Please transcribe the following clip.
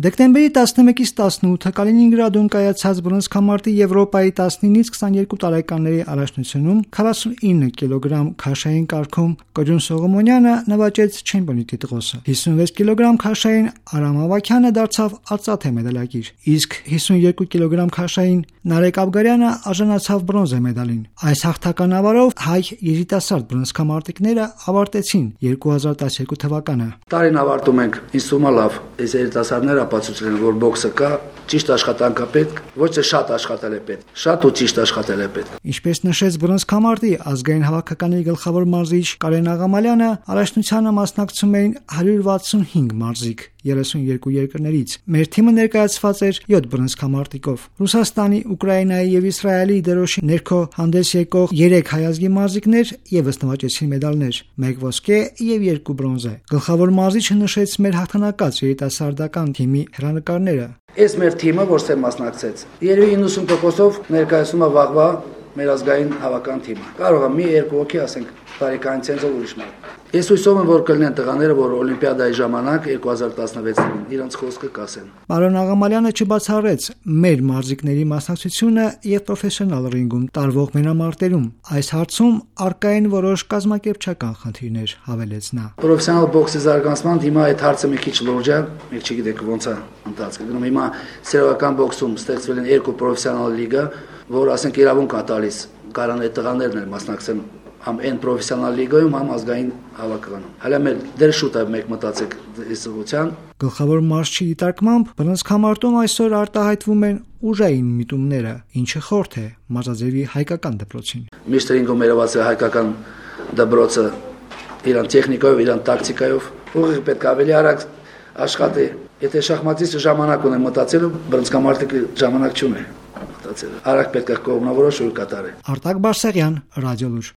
Դեկտեմբերի 11-ից 18-ը Կալինինգրադում կայացած բռնցքամարտի Եվրոպայի 19-ից 22 տարեկանների առաջնությունում 49 կիլոգրամ քաշային կարգում Կոջուն Սողոմոնյանը նվաճեց չեմպիոնի տիտղոսը։ 56 կիլոգրամ քաշային Արամ Ավագյանը դարձավ արծաթե մեդալակիր, իսկ 52 կիլոգրամ քաշային Նարեկ Աբգարյանը արժանացավ բրոնզե մեդալին։ Այս հաղթական ավարով հայ երիտասարդ բռնցքամարտիկները ավարտեցին 2012 թվականը։ Տարին ավարտում ենք, ինձ թվում է լավ, այս երիտասարդները ապացուցել են, որ բոքսը կա, ճիշտ աշխատանք է պետք, ոչ թե շատ աշխատել է պետք, շատ ու ճիշտ աշխատել է պետք։ Ինչպես նշեց բռնցքամարտի ազգային հավաքականի գլխավոր մարզիչ Կարեն Աղամալյանը, առաջնությանը մասնակցում էին 165 մարզիկ 32 երկրներից։ Մեր թիմը ներկայացված էր 7 բռնցքամարտիկով։ Ռուսաստանի, Ուկրաինայի եւ Իսրայելի դերոշի ներքո հանդես եկող 3 հայազգի մարզիկներ եւս նվաճեցին մեդալներ՝ 1 ոսկե եւ 2 բրոնզե։ Գլխավոր մարզիչը նշեց մեր հաղթանակած երիտասարդական թիմի հեռանկարները։ Այս մեր թիմը, որ ստե մասնակցեց, երևի 90%-ով ներկայացնում է վաղվա մեր ազգային հավաքական թիմը։ Կարող է մի երկու հոգի, ասենք, տարեկան ցենզով ուրիշ մարդ։ Ես հույսով եմ, որ կլինեն տղաները, որ Օլիմպիադայի ժամանակ 2016-ին իրենց խոսքը կասեն։ Պարոն Աղամալյանը չբացառեց մեր մարզիկների մասնակցությունը եւ պրոֆեսիոնալ ռինգում տարվող մենամարտերում։ Այս հարցում առկա են որոշ կազմակերպչական խնդիրներ, հավելեց նա։ Պրոֆեսիոնալ բոքսի զարգացման հիմա այդ հարցը մի քիչ լուրջ է, մենք չգիտենք ոնց է ընթացքը գնում։ Հիմա սերիալական բոքսում ստեղծվել են 2 պրոֆեսիոնալ լիգա, որ ասենք իրավունք է տալիս կարան այդ տղաներն էլ մասնակցեն համ այն պրոֆեսիոնալ լիգայում, համ ազգային հավաքականում։ Հələ մեր դեր շուտ է մեկ մտածեք այս ուղղության։ Գլխավոր մարզչի դիտարկմամբ բռնցքամարտում այսօր արտահայտվում են ուժային միտումները, ինչը խորթ է մարզաձևի հայկական դպրոցին։ Միշտ ռինգում երևաց է հայկական դպրոցը իրան տեխնիկայով, իրան տակտիկայով, ուղիղ պետք է ավելի արագ աշխատի։ Եթե շախմատիստը ժամանակ ունի մտածելու, բռնցքամարտիկը ժամանակ չունի մտածելու։ Արագ պետք է կողմնավորոշ ու կատարի։ Արտակ Բարսեղյան, Ռադիոլուր։